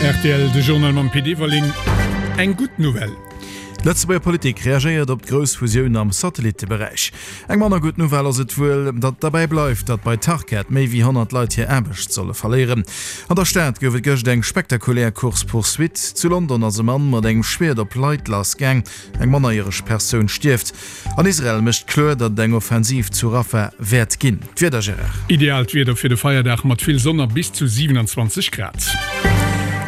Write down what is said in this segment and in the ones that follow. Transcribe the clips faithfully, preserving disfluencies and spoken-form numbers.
Rtl, de Journal mam Pit Everling. Eng gutt Nouvelle. D'Lëtzebuerger Politik reagéiert op d'grouss Fusioun am Satellitteberäich. Eng manner gutt Nouvelle ass et wuel, datt et derbäi bleift, datt bei Tarkett méi wéi honnert Leit hir Aarbecht solle verléieren. An der Stad gouf et gëscht eng spektakulär Course-poursuite. Zu London ass e Mann mat engem Schwiert op Leit lassgaang. Eng mannerjäreg Persoun stierft. An Israel mécht kloer, datt et eng Offensiv zu Rafah wäert ginn. D'Wieder, Gérard. Ideaalt Wieder fir de Feierdag mat vill Sonn a bis zu siewenanzwanzeg Grad.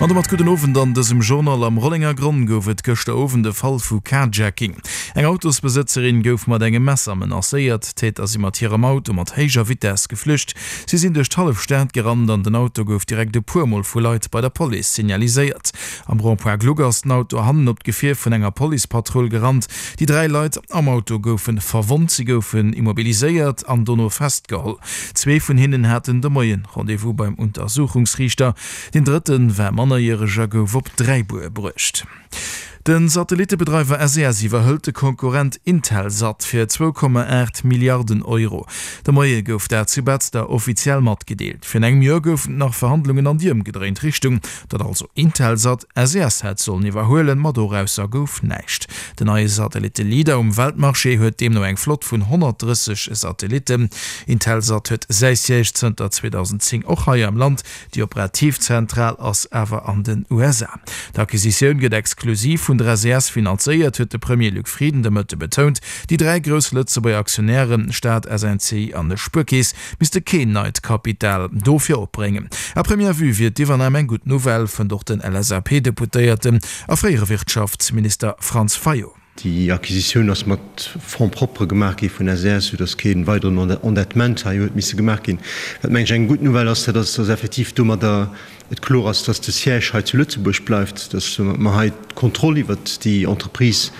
An domat gudden Owend an dësem Journal. Am Rollengergronn gouf et gëschter Owend e Fall vu Carjacking. Eng Autosbesëtzerin gouf mat engem Messer menacéiert. D'Täter si mat hirem Auto mat héijer Vitess geflücht. Si sinn duerch d'hallef Stad gerannt an den Auto gouf direkt e puer Mol vu Leit bei der Police signaliséiert. Am Rond-point Gluck ass den Auto hannen op d'Gefier vun enger Policepatrull gerannt. Déi dräi Leit am Auto goufe verwonnt. Si goufen immobiliséiert an dono festgeholl. Zwee vun hinnen haten de Moien Rendez-vous beim Untersuchungsriichter. Deen drëtte war mannerjäreg a gouf op Dräibuer bruecht. De Satellittebedreiwer S E S iwwerhëlt de Konkurrent Intelsat fir zwou Komma aacht Milliarden Euro. De Moie gouf dat zu Betzder offiziell matgedeelt. Virun engem Joer goufen et nach Verhandlungen an déi ëmgedréint Richtung, datt also Intelsat S E S hätt sollen iwwerhuelen, ma dorausser gouf näischt. Den neie Satellitte-Leader um Weltmarché huet deemno eng Flott vun honnertdrësseg Satellitten. Intelsat huet säi Siège zënter zweedausendzéng och hei am Land, déi operativ Zentral ass awer an den U S A. D'Acquisitioun gëtt exklusiv vun der S E S finanzéiert, huet de Premier Luc Frieden de Mëtte betount. Déi dräi grouss Lëtzebuerger Aktionären, Staat, S N C I an Spuerkeess, misste keen neit Kapital dofir opbréngen. À première vue wier d'Iwwernam eng gutt Nouvelle, fënnt och den L S A P-Deputéierten a fréiere Wirtschaftsminister Franz Fayot. Déi Acquisitioun ass mat Fonds propres gemaach gi vun S E S, soudass kee weideren Endettement hei huet misse gemaach ginn. Wat, meng ech, eng gutt Nouvelle ass, dat ass, dass effektiv domadder et kloer ass, dass de Siège hei zu Lëtzebuerg bleift, dass mer hei d'Kontroll iwwert déi Entreprise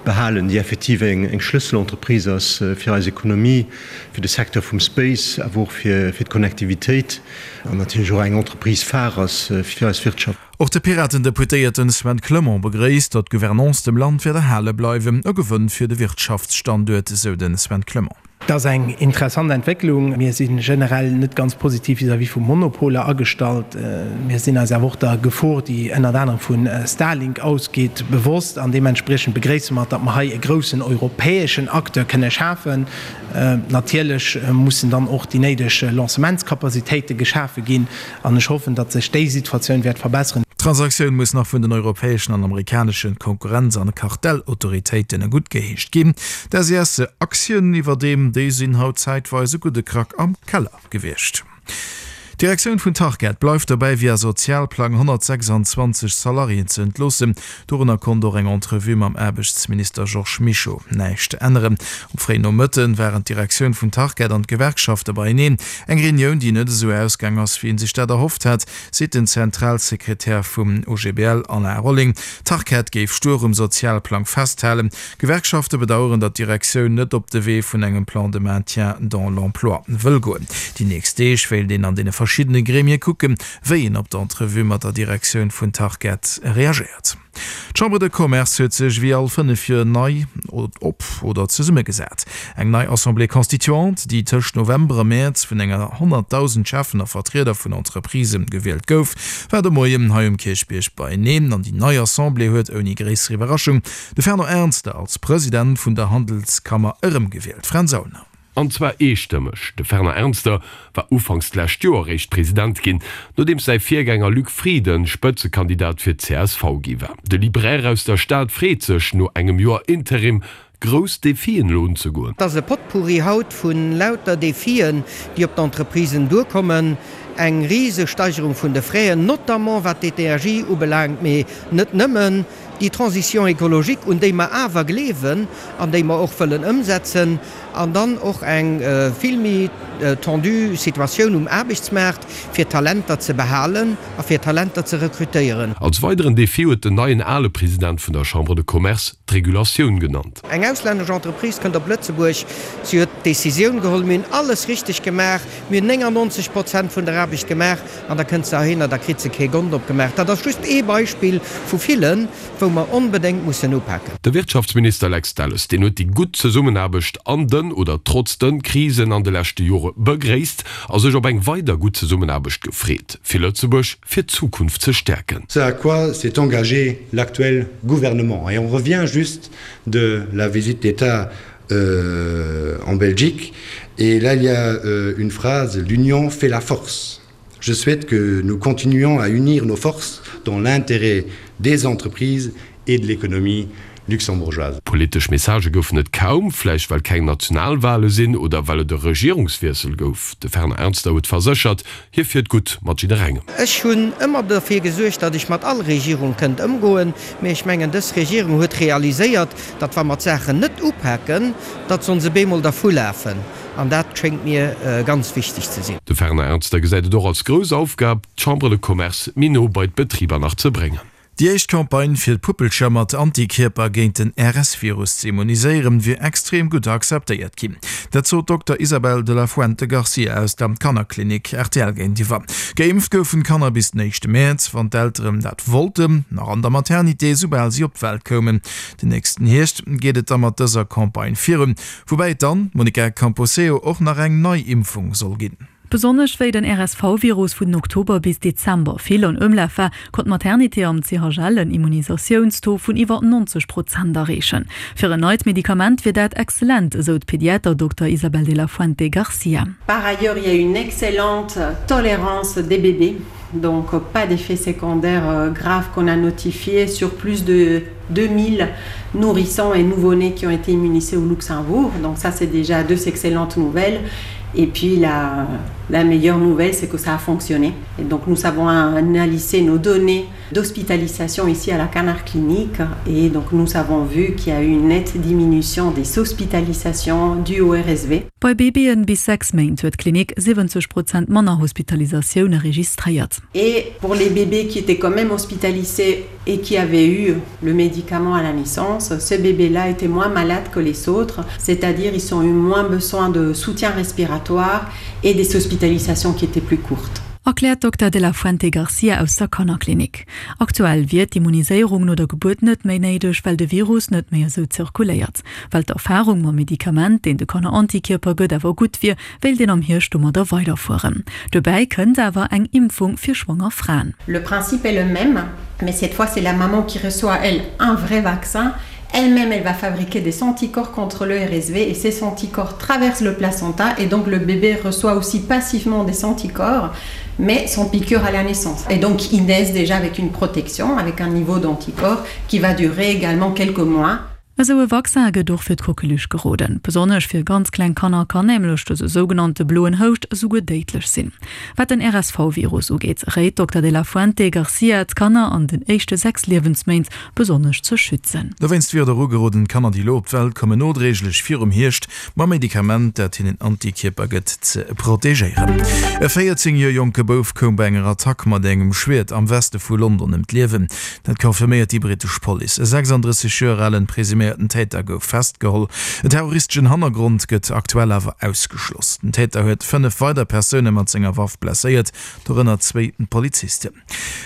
behalen, déi effektiv eng Schlësselentreprise ass fir eis Ekonomie, fir de Secteur vum Space, awer och fir d'Connectivitéit an natierlech och eng Entreprise phare ass fir eis Wirtschaft. Och de Piraten-Deputéierten Sven Clement begréisst, datt d'Gouvernance dem Land wäert erhale bleiwen. E Gewënn fir de Wirtschaftsstanduert, sou de Sven Clement. Et ass eng interessant Entwécklung. Mir si generell net ganz positiv vis-à-vis vu Monopoler agestallt. Mir sinn eis awer och der Gefor, déi ënnert anerem vu Starlink ausgeet, bewosst an deementspriechend begréisse mer, datt mer hei e groussen europäeschen Acteur kënne schafen. Natierlech mussen dann och déi néideg Lancementskapazitéite geschafe ginn an ech hoffen, datt sech déi Situatioun wäert verbesseren. D'Transaktioun muss nach vun den europäeschen an amerikanesche Konkurrenz an Kartellautoritéiten guttgeheescht ginn. D'S E S-Aktien iwwerdeem, déi sinn haut zäitweis e gudde Krack am Keller gewiescht. D'Direktioun vun Tarkett bleift dobäi, via Sozialplang honnertsechsanzwanzeg Salariéen ze entloossen. Dorunner konnt och eng Entrevue mam Aarbechtsminister Georges Mischo näischt änneren. Um fréien Nomëtte waren d'Direktioun vun Tarkett an d'Gewerkschafte beieneen. Eng Reunioun, déi net esou ausgaang ass, wéi ee sech dat erhofft hat, seet den Zentralsekretär vum O G B L Alain Rolling. Tarkett géif stuer um Sozialplang festhalen. D'Gewerkschafte bedaueren, datt d'Direktioun net op de Wee vun engem Plan de maintien dans l'emploi wëll goen. Déi nächst Deeg wéilt een an deene verschiddene Gremie kucken, wéi een op d'Entrevue mat der Direktioun vun Tarkett reagéiert. D'Chambre de Commerce huet sech wéi all fënnef Joer nei op oder zesummegesat. Eng nei Assemblée constituante, déi tëscht November a Mäerz vun enger honnertdausend Cheffen a Vertrieder vun Entreprisë gewielt gouf, war de Moien hei um Kierchbierg beieneen. An déi nei Assemblée huet ouni gréisser Iwwerraschung de Fernand Ernster als President vun der Handelskammer erëmgewielt. Fränz Aulner. An zwar eestëmmeg. De Fernand Ernster war ufanks d'lescht Joer eréischt President ginn, nodeems säi Virgänger Luc Frieden Spëtzekandidat fir d'C S V gi war. De Libraire aus der Stad freet sech, no engem Joer Interim grouss Defien elo unzegoen. Et ass e Potpourri haut vu lauter Defien, déi op d'Entreprisen duerkommen, eng Risesteigerung vun de Fraisen, notamment wat d'Energie ubelaangt, mee net nëmmen, déi Transition écologique, un déi mer awer gleewen an déi mer och wëllen ëmsetzen, an dann och eng vill méi tendue Situatioun um Aarbechtsmaart, fir Talenter ze behalen a fir Talenter ze rekrutéieren. Als weideren Defi huet den neien ale President vun der Chambre de Commerce d'Regulatioun genannt. Eng auslännesch Entreprise kënnt op Lëtzebuerg, si huet d'Decisioun geholl, mir hunn alles richteg gemaach, mir hunn néngannonzeg Prozent vun der Aarbecht gemaach, an da kënnt se heihinner, da kritt se kee Gond opgemaach. Dat ass just ee Beispill vu villen, wou mer onbedéngt mussen upaken. De Wirtschaftsminister Lex Delles, deen huet déi gutt Zesummenaarbecht an de den oder trotz den Krisen an de leschte Jore begréisst a sech op eng weider gutt Zesummenaarbecht gefreet, fir Lëtzebuerg fir d'Zukunft ze stäerken. Ce à quoi s'est engagé l'actuel gouvernement. Et on revient juste de la visite d'État euh, en Belgique et là il y a euh, une phrase l'union fait la force. Je souhaite que nous continuions à unir nos forces dans l'intérêt des entreprises et de l'économie luxembourgeoise. Politesch Messagë goufen et kaum, vläicht well keng Nationalwale sinn oder well et e Regierungswiessel gouf. De Fernand Ernster huet verséchert, hie fiert gutt mat jidderengem. Ech hunn ëmmer derfir gesuergt, datt ech mat all Regierung kënnt ëmgoen, mee ech mengen, dës Regierung huet realiséiert, datt wa mer d'Saachen net upaken, datt se ons e bemol dervulafen. An dat schéngt mir ganz wichteg ze sinn. De Fernand Ernster gesäit et och als grouss Aufgab, d'Chambre de Commerce méi no bei d'Betriber nach ze bréngen. Déi éischt Campagne fir d'Puppelcher mat Antikierper géint den R S-Virus ze immuniséieren, wier extrem gutt akzeptéiert ginn. Dat sot d'Dokter Isabel de la Fuente Garcia aus der Kannerklinik R T L géintiwwer. Geimpft goufen d'Kanner bis den éischte Mäerz, wann d'Elteren dat wollten, nach an der Maternité, soubal si op d'Welt koumen. Den nächsten Hierscht geet et da mat dëser Campagne virun, woubäi et dann, Monica Camposeo, och nach eng nei Impfung soll ginn. Besonnesch wéi den R S V-Virus vun Oktober bis Dezember vill an Ëmlaf war, konnt d'Maternité am C H L en Immunisatiounstaux vun iwwer neunzeg Prozent erreechen. Fir en neit Medikament wier dat exzellent, esou d'Pediater Dokter Isabel de la Fuente Garcia. Par ailleurs, il y a une excellente tolérance des bébés, donc pas d'effets secondaires graves qu'on a notifiés sur plus de deux mille nourrissons et nouveau-nés qui ont été immunisés au Luxembourg. Donc ça, c'est déjà deux excellentes nouvelles. Et puis la, la meilleure nouvelle, c'est que ça a fonctionné. Et donc nous avons analysé nos données d'hospitalisation ici à la Canard Clinique et donc nous avons vu qu'il y a eu une nette diminution des hospitalisations dues au R S V. Bei Babyen bis sechs Méint huet d'Klinik siwwenzeg Prozent manner Hospitalisatioune registréiert. Et pour les bébés qui étaient quand même hospitalisés et qui avaient eu le médicament à la naissance, ces bébés-là étaient moins malades que les autres, c'est-à-dire ils ont eu moins besoin de soutien respiratoire et des hospitalisations qui étaient plus courtes. Erkläert Dokter de la Fuente Garcia aus der Kannerklinik. Aktuell wier d'Immuniséierung no der Gebuert net méi néideg, well de Virus net méi esou zirkuléiert. Well d'Erfarung mam Medikament, deen de Kanner Antikierper gëtt, awer gutt wier, wéilt een am Hierscht domadder weiderfueren. Dobäi kënnt awer eng Impfung fir schwanger Fraen. Le principe est le même, mais cette fois c'est la maman qui reçoit, elle, un vrai vaccin. Elle-même, elle va fabriquer des anticorps contre le R S V et ces anticorps traversent le placenta et donc le bébé reçoit aussi passivement des anticorps, mais sans piqûre à la naissance. Et donc ils naissent déjà avec une protection, avec un niveau d'anticorps qui va durer également quelques mois. Esou e Vaccin gëtt och fir d'Coqueluche geroden. Besonnesch fir ganz kleng Kanner kann nämlech dëse sougenannte bloen Houscht esouguer déidlech sinn. Wat den R S V-Virus ugeet, réit Dokter de la Fuente Garcia d'Kanner an den éischte sechs Liewensméint besonnesch ze schützen. Dowéinst wier et och ugeroden, d'Kanner, déi elo op d'Welt kommen, nodréiglech virum Hierscht mam Medikament, dat hinnen Antikierper gëtt, ze protegéieren. E véierzéng Joer jonke Bouf koum bei enger Attack mat engem Schwiert am Weste vu London ëm d'Liewen. Dat confirméiert déi brittesch Police. E sechsandrësseg Joer alen presuméierten Täter gouf festgeholl. En terroristeschen Hannergrond gëtt aktuell awer ausgeschloss. Den Täter huet fënnef weider Persoune mat senger Waff blesséiert, dorënner zwéi Polizisten.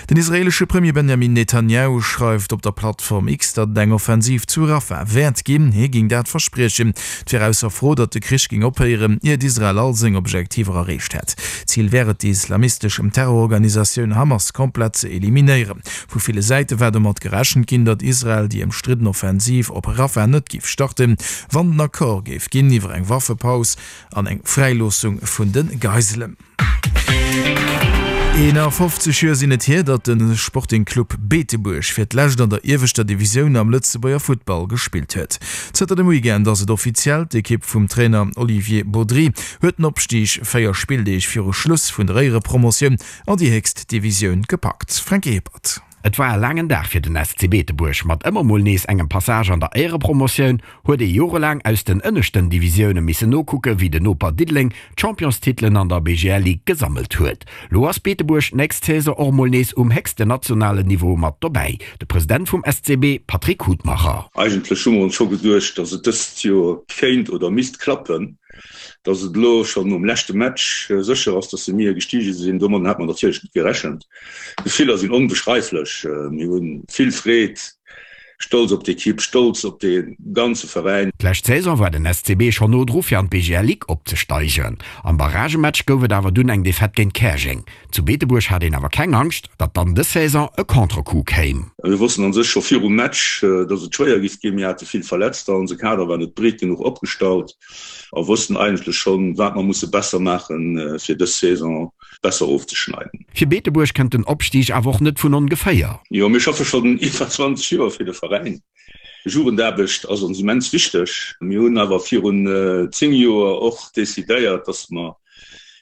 Den israeelesche Premier Benjamin Netanjahu schreift op der Plattform X, datt et eng Offensiv zu Rafah wäert ginn. Hie géing dat verspriechen. Et wier ausser Fro, datt de Krich géing ophéieren, iert Israel all seng Objektiver erreecht hätt. Zil wär et, déi islamistesch Terrororganisatioun Hamas komplett ze eliminéieren. Vu ville Säite war domat gerechent ginn, datt Israel déi ëmstridden Offensiv op Rafah net géif starten, wann en Accord géif ginn iwwer eng Waffepaus an eng Fräiloossung vun de Geiselen. Eenafofzeg Joer sinn et hier, datt de Sporting Club Beetebuerg fir d'lescht an der ieweschter Divisioun am Lëtzebuerger Futtball gespillt huet. Zënter dem Weekend ass et offiziell, D'Ekipp vum Trainer Olivier Bodry huet den Opstig véier Spilldeeg viru Schluss vun der Éierepromotioun an déi héchst Divisioun gepackt. Franky Hippert. Et war e laangen Dag fir den S C Beetebuerg. Mat ëmmer mol nees engem Passage an der Éierepromotioun huet ee jorelaang aus den ënneschten Divisioune missen nokucke wéi den Noper Diddeleng d'Championstitelen an der B G L Ligue gesammelt huet. Lo ass Beetebuerg d'nächst Saison och mol nees um héchsten nationalen Niveau mat dobäi. De President vum S C B Patrick Hutmacher. Eigentlech hu mer ons scho geduecht, datt et dëst Joer kéint oder misst klappen. Datt et elo schonn nom leschte Match sécher ass, datt mir gestige sinn, domadden hat mer natierlech net gerechent. D'Gefiller sinn onbeschreiflech. Mir hu vill Freed, Stolz op d'Ekipp, stolz op de ganze Veräin. D'lescht Saison war den S C B schonn no dru fir an d'B G L Ligue opzesteigen. Am Barragematch gouf et awer dunn eng Defaite géint Käerjeng. Zu Beetebuerg hat een awer keng Angscht, datt dann dës Saison e Contrecoup kéim. Mir wossten an sech scho virum Match, datt et schwéier giff ginn. Mir hate vill Verletzter, onse Kader war net breet genuch opgestallt a wossten eigentlech schonn, wat mer musse besser maachen, fir dës Saison besser ofzeschneiden. Fir Beetebuerg kënnt den Opstig awer och net vun ongeféier. Jo, mir schaffe schonn iwwer zwanzeg Joer fir de Veräin. Jugendaarbecht ass ons immens wichteg. Mir hunn awer virun zéng Joer och decidéiert, dass mer,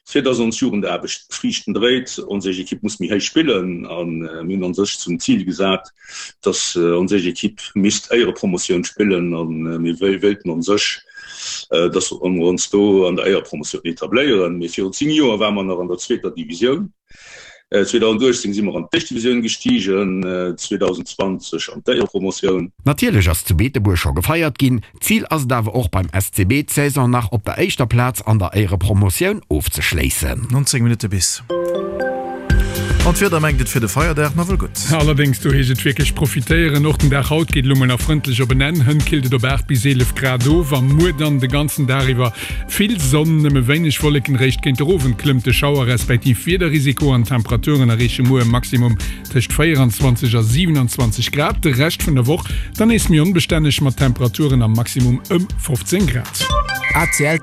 fir dass ons Jugendaarbecht Friichten dréit, ons éischt Ekipp muss méi héich spillen. A mir hunn an sech zum Zil gesat, dass ons éischt Ekipp misst Éierepromotioun spillen. A mir wéilten an sech, dass mer ons do an der Éierepromotioun etabléieren. Mee virun zéng Joer ware mer nach an der zweeter Divisioun. zweedausendachtzéng si mer an d'éischt Divisioun gestigen, zweedausendzwanzeg an d'Éierepromotioun. Natierlech ass zu Beetebuerg scho gefeiert ginn. Zil ass et awer och beim S C B d'Saison nach op der éischter Plaz an der Éierepromotioun ofzeschléissen. Nonzéng Minutte bis. An d'Wieder mengt et fir de Feierdag nawell gutt. Allerdéngs, do heescht et wierklech profitéieren. Och den Dag haut geet elo mol nach frëndlech op en Enn. Hënt killt et op aacht bis eelef Grad of a muer dann de ganzen Dag iwwer vill Sonn, nëmme wéineg Wolleken. Réischt géint de Owend klëmmt de Schauer respektiv Wiederrisiko an d'Temperaturen erreeche muer e Maximum tëscht véieranzwanzeg a siwenanzwanzeg Grad. De Rescht vun der Woch dann nees méi onbestänneg mat Temperaturen am Maximum ëm fofzéng Grad. A C L.